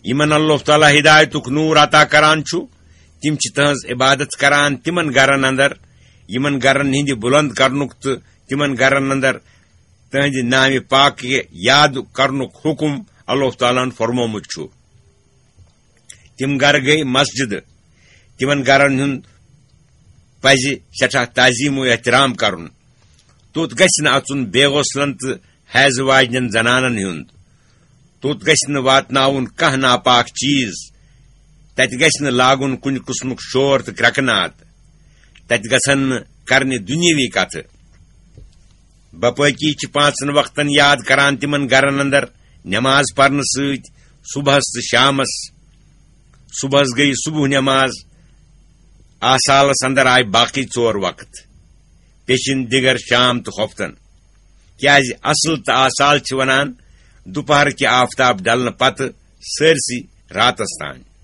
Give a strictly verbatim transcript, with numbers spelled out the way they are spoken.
یِمن اللہ تعالیٰ ہدایتُک نور عطا کران چھُ، تِم چھِ تہنٛز عبادت کران تِمن گرن اندر، یِمن گرن ہٕنٛدِ بُلند کرنُک تہٕ تِمن گرن اندر تہنٛدِ نامِ پاک یاد کرنُک حکم اللہ تعالیٰ ہن فرمومُت چھُ۔ تِم گرٕ گٔے مسجدٕ، تِمن گرن ہُنٛد پزِ سٮ۪ٹھاہ تعظیم و احترام کرُن۔ توٚت گژھِ نہٕ اژُن بے غسلن تہٕ حیضہٕ واجنٮ۪ن زنانن ہُنٛد۔ توٚت گژھِ نہٕ واتناوُن کانٛہہ ناپاک چیز۔ تتہِ گژھِ نہٕ لاگُن کُنہِ قٕسمُک شور تہٕ کرٛٮ۪کہٕ ناد۔ تتہِ گژھن نہٕ کرنہِ دُنیٲوی کتھٕ۔ باپٲقی چھِ پانٛژن وقتن یاد کران تِمن گرن اندر نماز پرنہٕ سۭتۍ، صبحس تہٕ شامس۔ صبحس گٔیہِ صبح نماز، آسالس اندر آیہِ باقی ژور وقت، پیٚچِن، دِگر، شام تہٕ خۄفتن۔ کیازِ اصل تہٕ آسال چھِ ونان دُپہر کہِ آفتاب ڈلنہٕ پتہٕ سٲرسٕے راتس تام۔